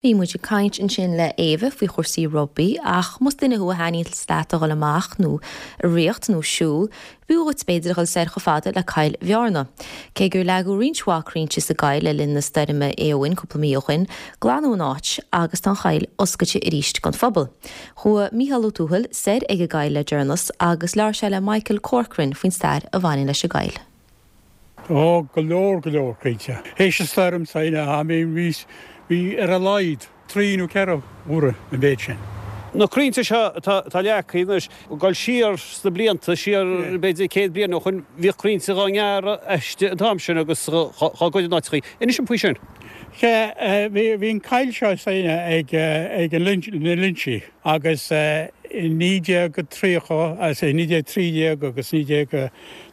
Bhí muid ag caint ansin le Éabha faoi chúrsaí rugbaí ach más duine thú a thaitníonns leat a dhul amach nó ag ritheacht nó siúl, b'fhiú dhuit b'fhéidir a dhul soir chomh fada le Coill Bhearna. Cé gur leagadh roinnt mhaith crainnte sa gcoill le linn na stoirme Éowyn cúpla mí ó shin, glanadh an áit agus tá an choill oscailte arís don phobal. Chuaigh Mícheál Ó Tuathail soir ag an gcoill le deireanas agus labhair sé le Michael Corcoran faoin stair a bhaineann leis an gcoill. Ó, go leor, go leor crainnte. Théis an stoirm sin, I mean, bhí, bhí ar a laghad trí nó ceithre huaire an mhéid sin. Na crainnte seo atá, atá leagtha anois, ag dul siar sna blianta, siar b'fhéidir 100 bliain ó shoin, bhíodh crainnte dhá ngearradh aisti an t-am sin agus dhá gcur in áiteachaí. Inis dom faoi sin. Sea, bhí, bhí an coill seo s'againne ag, ag an Lynch, na Lynchí agus i 1930, i 1913 agus 19.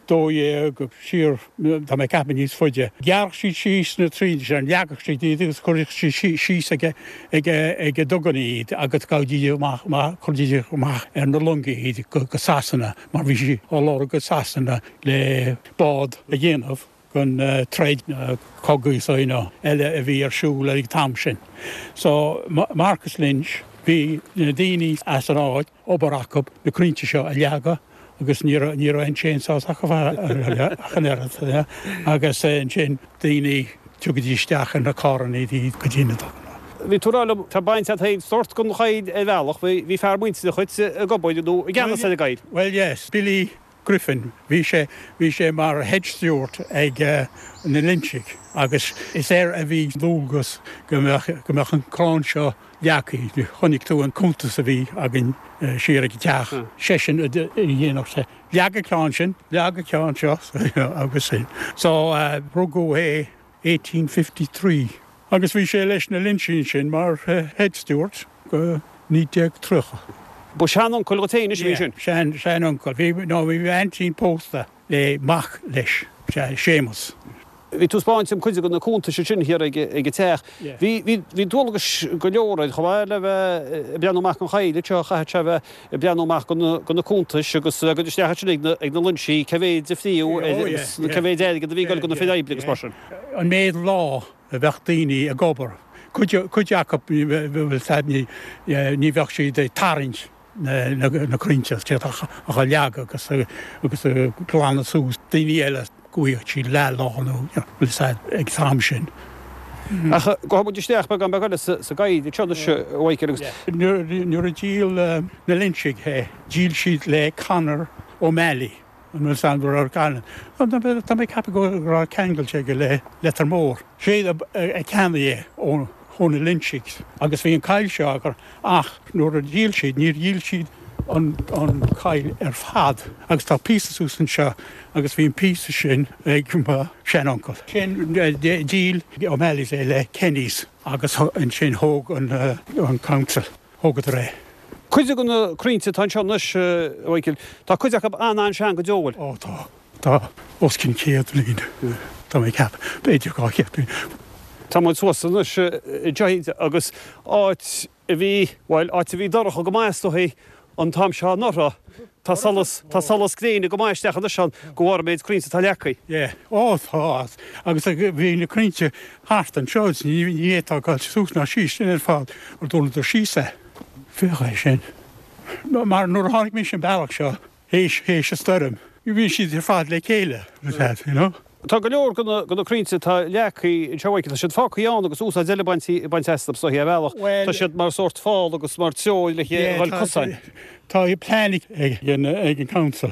12 siar, tá mé ag ceapadh níos faide. Ghearrfadh siad síos na crainnte sin, leagfadh siad iad agus chuirfeadh siad síos ag ag na duganna iad agus ghabhaidís amach, chuiridís amach ar na longa iad go Sasana mar bhí siad á lorg go Sasana le bád a dhéanamh don troid, cogaí so you know eile a bhí ar siúl ag an t-am sin. So Marcus Lynch, bhí na daoine as an áit, obair acu na crainnte seo a leagadh agus ní raibh ní raibh aon chainsaws acu ach an oiread agus ansin daoine tugaidís isteach ar na carranna iad go dtí na duganna. Bhí tú ag rá liom, tá baint agat féin sórt den choill ar bhealach, bhí fear muinteartha dhuit ag obair nó i gceannas ar an gcoill. Well yes, Billy Griffin, bhí sé bhí sé mar head steward ag na Lynchigh agus is air a bhí dualgas go mbeadh go mbeadh an crann seo leagtha. Chonaic tú an cuntas a bhí againn siar ag an teach, seisean a dhéanfadh sé, leag an ceann sin, leag an ceann seo agus sin. So rugadh é 1853 agus bhí sé leis na Lynchigh ansin mar head steward go 1930. Ba shean-uncail dhuit féin anois a bhí ansin? Yeah, sean, sean-uncail. Bhí, no, bhí m'aintín pósta le mac leis, sea, Séamus. Bhí tú ag 'spáint dom cuid de na cuntais ansin thiar ag an teach. Bhí, bhí, bhí dualgais go leor air chomh maith le bheith ag breathnú amach don choill anseo, chaithfeadh sé a bheith ag breathnú amach do na, do na cuntais agus a ghoil isteach ansin ag na, ag na Loinsigh, cé mhéid a fríodh agus cé mhéid airgead a bhí ag goil do na fir oibre agus mar sin. An méid lá a bheadh daoine ag obair, cuid, cuid acu, bhfuil 's a'd, ní, ní bheadh siad ag tarraingt na crainnte, siad á leagadh agus, agus a glanadh suas, daoine eile go bhfaigheadh siad leath lá nó, bhfuil 's a'd, ag an t-am sin. Ach gabhfaidh muid isteach beagán beag eile sa gcoill anseo anois, a Mhichael, agus. Nuair a dhíol na Lynchigh é, dhíol siad le Conor O'Malley. An bhfuil 's a'd go raibh Conor, tá mé ag ceapadh go raibh ceangal aige le Leitir Móir. Sé a cheannaigh é ó na Lynchigh agus bhí an coill seo acu ach nuair a dhíol siad, níor dhíol siad an coill ar fad agus tá píosa suas anseo agus bhí an píosa sin ag mo shean-uncail. Sin dhíol O'Malley's é le Kenny's agus ansin thóg an council. Thógadar é. Cuid de na crainnte atá anseo anois, a Mhichael, tá cuid acu an-an-sean go deo, bhfuil? Ó tá. Tá os cionn 100 bliain, tá mé ag ceapadh. B'fhéidir 200 bliain. Tá muid suas anois anseo agus áit a bhí, bhuel, áit a bhí dorcha go maith is dóichí an t-am seo anuraidh. Tá solas, tá solas gréine go maith isteach anois ann de bharr an méid crainnte atá leagtha. Yeah. Ó tá. Agus bhí na crainnte thart anseo is ní fhéadfá dul suas ná síos sin ar fad mar dúradar síos é. Féach é sin. Mar nuair a tháinig mise an bealach seo théis, théis an stoirm, bhí siad ar fad le chéile, you know. Tá go leor de na crainnte atá leagtha anseo, a Mhichael, tá siad fágtha ann agus úsáid eile bainte astu is dóichí ar bhealach. Tá siad mar sórt fál agus mar treoir le dhul cosáin. Tá plean ag an council,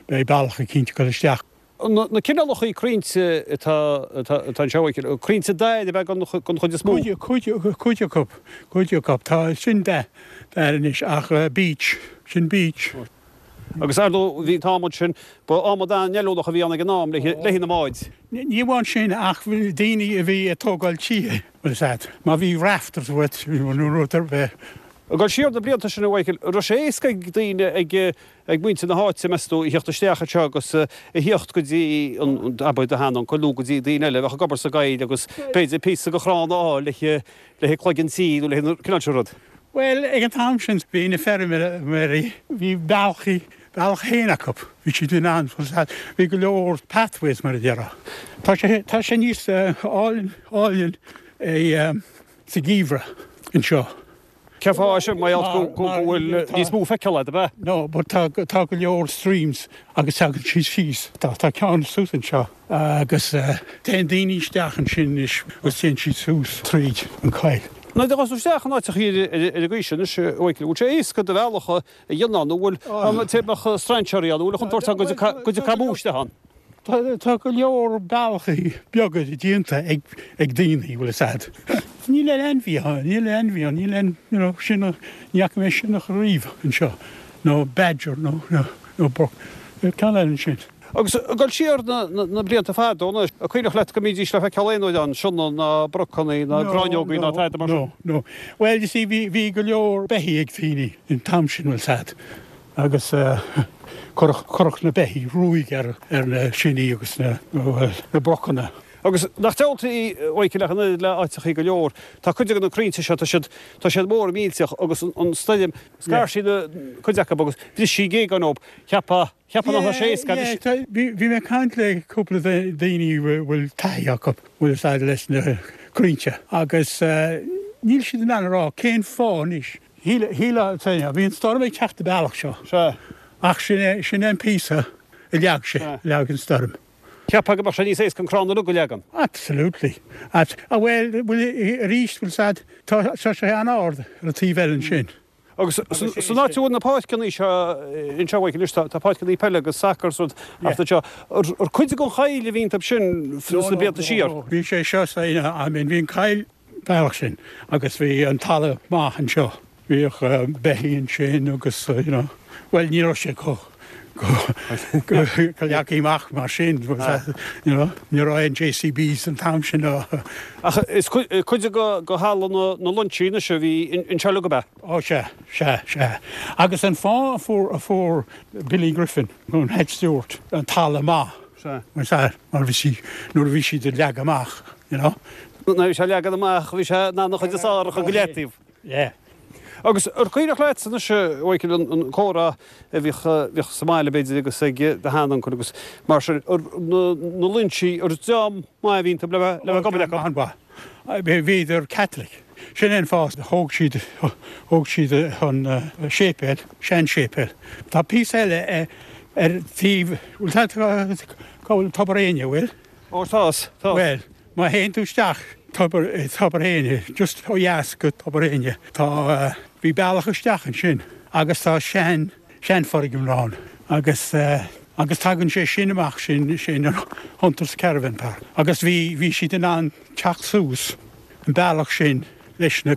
beidh bealach eicínt ag dul isteach. Na cineálacha crainnte atá anseo, a Mhichael, crainnte dair ab ea den chuid is mó? Cuid acu, cuid acu. Tá sin dair anois ach beech, sin beech. Agus ar ndóigh bhí an t-adhmad sin, ba adhmad an-fheiliúnach a bhí ann ag an am le haghaidh na mbád. Ní amháin sin ach daoine a bhí ag tógáil tithe, bhfuil 'fhios a'd, má bhí rafters uait nó rud ar bith. Ag dul siar na blianta sin a Mhichael, an raibh sé éasca ag daoine, ag ag muintir na háite, meas tú, a theacht isteach anseo agus a theacht go dtí an, abair do sheanuncail nó go dtí daoine eile a bheadh ag obair sa gcoill agus b'fhéidir píosa de chrann a fháil le haghaidh cloigeann tí nó le haghaidh an cineál sin rud. Bhuel, ag an t-am sin bhí na feirmeoirí, bhí bealachaí, bealach féin acu, bhí siad in ann, bhí go leor pathways mar a déarfá. Tá sé, tá sé níos álainn, álainn é sa gheimhreadh. anseo. Cén fáth é sin? Mar gheall go bhfuil níos mó feiceáil agat, ab ea? No, but tá tá go leor streams agus tagann siad síos. Tá tá ceann suas anseo agus téann daoine isteach ansin anois agus téann siad suas tríd an choill. Nuair a ghabhas tú isteach in áiteachaí ar an gcaoi sin anois, a Mhichael, bhfuil sé éasca do bhealach a dhéanamh ann nó bhfuil an mbeadh strainséirí ann, bhfuil an chontúirt ann go dtiocfadh cabúis isteach ann? Tá go leor bealachaí beaga déanta ag daoine, bhfuil fhios a'd. Níl aon ainmhí ann, níl aon ainmhí ann, níl aon, you know, sionnach, ní fhaca mé sionnach riamh anseo, nó badger nó, nó broc, ceann eile ansin. Agus ag dul siar na blianta fada anois, an cuimhneach leat go mbídís le feiceáil aon uair ann, sionnaigh ná brocannaí ná gráinneogaí ná tada mar sin? No, no. Well, you see, bhí, bhí go leor beithígh ag daoine an t-am sin, bhfuil fhios a'd. Agus cuireadh na beithígh ruaig ar na sionnaigh agus na brocanna. Agus nach diabhalta í, a Mhichael, ach an oiread le áiteachaí go leor, tá cuid de na crainnte seo, tá siad, tá siad mór millteach agus an stoirm, scar sí na, cuid acu agus bhris sí géaga dóibh, cheapfá, cheapfá nach raibh sé éasca agus. Bhí mé ag caint le cúpla daoine a bhfuil taithí acu, bhfuil fhios a'd, leis na crainnte agus níl siad in ann a rá cén fáth anois Shílfeá, bhí an stoirm ag teacht an bealach seo. Sea. Ach sin é, sin é an píosa a leag sé, a leag an stoirm. Cheapfá go mbeadh sé níos éasca an crann uilig a leagan. Absolutely. Abs, ah bhuel, bhuel, arís, bhfuil fhios a'd, tá, tá sé an-ard ar an taobh eile ansin. Agus san áit a bhfuil na páirceanna seo anseo, Mhichael, anois, tá, tá páirceanna peile agus sacar is rud thart anseo. Ar cuid den choill a bhí iontu sin sna blianta siar? No, no, no. Bhí sé seo, I mean, bhí an choill, bealach sin agus bhí an talamh maith anseo. Bhíodh beithígh ansin agus you know, bhuel ní raibh sé chomh chomh leagtha amach mar sin you know, ní raibh aon JCBs an t-am sin. Ach is cuid de thalamh na Loinsí anois a bhí anseo uilig ab ea? Ó sea, sea, sea. Agus an fáth a fuair a fuair Billy Griffin ón head steward an talamh maith, Sea. Mar bhí sí, nuair a bhí siad ag leagadh amach, you know. Nuair a bhí sé ag leagan amach, bhí sé in ann an chuid is fearr a chur go leataobh. Yeah. Agus ar cuimhneach leat anois, a Mhichael, an comhrá a bhíodh, bhíodh sa mbaile b'fhéidir agus ag do sheanuncail agus mar sin, ar na, na Loinsigh, ar dream maith a bhí iontu le bheith, le bheith ag obair acu? An-mhaith. Bhíodar Catholic. Sin é an fáth, thóg siad, thóg siad an séipéal, sean-séipéal. Tá píosa eile ar taobh, bhfuil tá, cá bhfuil Tobar Éinne, bhfuil? Ó tá, tá. Bhuel, má théann tú isteach Tobar, Tobar Éinne, just ó dheas go Tobar Éinne, tá, bhí bealach isteach ansin agus tá sean, seanfhoirgneamh ann agus, agus tagann sé sin amach, sin, sin an Hunters Caravan Park agus bhí, bhí siad in ann teacht suas an bealach sin leis na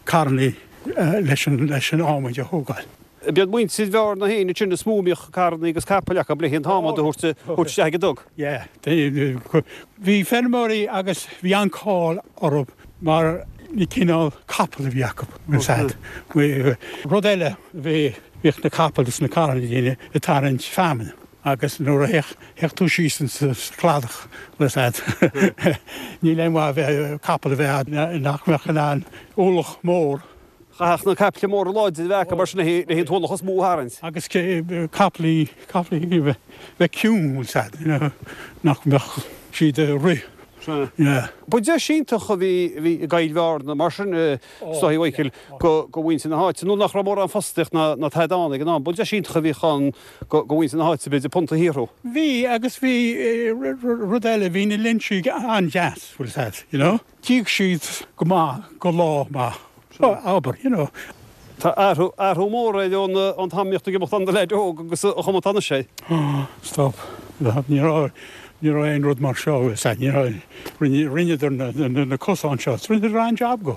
carrannaí leis an, leis an adhmaid a thógáil. B'iad muintir Bhearna féin ansin is mó a mbíodh carrannaí agus capaill acu le an t-adhmad a thabhairt isteach ag an dug. Yeah. Bhí feirmeoirí agus bhí an-cáil orthu mar na cineál capall a bhí acu, bhfuil 's a'd. Rud eile, bhí, bhíodh na capaill is na carrannaí daoine ag tarraingt feamainn agus nuair a théadh, théadh tú síos insa chladach, bhfuil 's a'd, níl aon mhaith a bheith, capall a bheith a'd nach mbeadh in ann ualach mór Chaithfeadh na caiple móra láidre a bheith acu mar sin le an t-ualach is mó a tharraingt. Agus caiplí, caiplí a bheith ciúin, bhfuil 's a'd, you know, nach mbeadh siad ag rith. Sea. Yeah. Ba deis iontach a bhí, a bhí i gCoill Bhearna mar sin, is dóigh, a Mhichíl, go, go mhuintir na háite, nó nach raibh mórán fostaíocht ná, ná tada ann ag an am. Ba deis iontach a bhíodh ann go, go mhuintir na háite, b'fhéidir, punt a shaothrú. Bhí, agus bhí, rud eile, bhí na Loinsigh an-deas, bhfuil 's a'd, you know. D'íoc siad go maith go lá maith, abair, you know. Tá athrú, athrú mór air ón, ón t-am a mbíodh tú ag imeacht ann i do leaid óg agus an chuma atá anois air. Stop. Ní raibh, ní raibh aon rud mar seo, bhfuil 's a'd, ní raibh, rinne, rinneadar na, na, na cosáin seo, rinneadar an-jab go.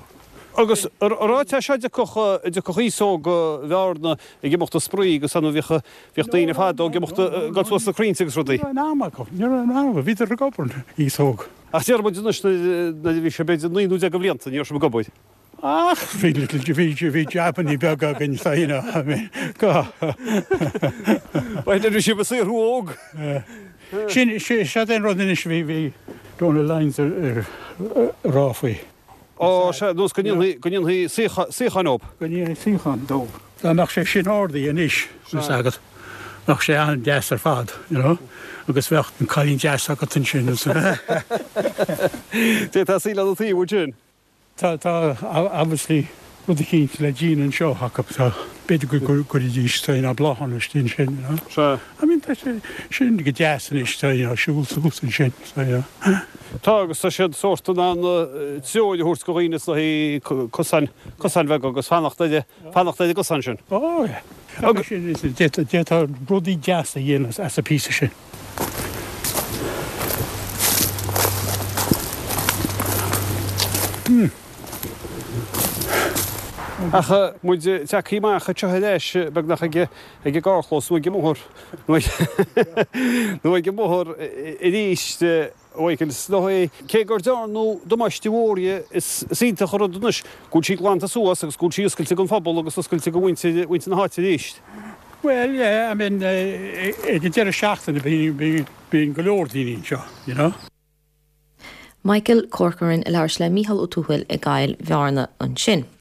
Agus ar an áit seo a dtiocfadh, a dtiocfadh aos óg Bhearna ag imeacht ag spraoi agus ann bhíodh, bhíodh daoine fadó ag imeacht, ag dul suas na crainnte agus rudaí. Ní raibh aon am acu, ní raibh aon am acu, bhíodar ag obair, aos óg. Ach deir muid anois nuair a bhí sé b'fhéidir 19 nó de bhlianta, ní raibh sibh ag obair. Ach bhí little, bhí, bhí jabannaí beaga againn so you know, I mean, go. Bhuel, bhí sibh ag saothrú óg. Sin, seo é an rud anois a bhí, bhí Donal Lyons ag rá faoi. Ó, sea, nós go ndéanfaí, go ndéanfaí suíocháin dóibh. Go ndéanfaí suíocháin dóibh. Dá mbeadh sé sin ardaithe anois, bhfuil 's agat, bheadh sé an-deas ar fad, you know, agus bheadh an cailín deas agat ansin. D'fhéadfá suí lena taobh ansin. Tá, tá, obviously. rud eicínt le déanamh anseo acu, tá, b'fhéidir go gcuirfidís, you know, bláthanna istigh ansin, you know. Sea. I mean, tá sé sin go deas anois, tá, you know, siúl suas ansin, so, you know. Tá, agus tá siad sórt in ann treoir a thabhairt go dhaoine sna cosáin, cosáin bheaga agus fanacht ar, fanacht ar an gcosán sin. Oh, yeah. Agus sin, d'fhéadfá rudaí deasa a dhéanamh as an píosa sin. Ach muid tagtha amach anseo ar ais beagnach ag an gcarrchlós nó ag an mbóthar nó ag an mbóthar arís, a Mhichael, is dóigh cé gur dearnadh damáiste mhór di is iontach an rud anois go bhfuil sí glanta suas agus go bhfuil sí oscailte don phobal agus oscailte do mhuintir mhuintir na háite arís. Bhuel, yeah, I mean, ag an deireadh seachtaine bíonn bíonn go leor daoine anseo, you know. Michael Corcoran ag labhairt le Mícheál Ó Tuathail i gCoill Bhearna ansin.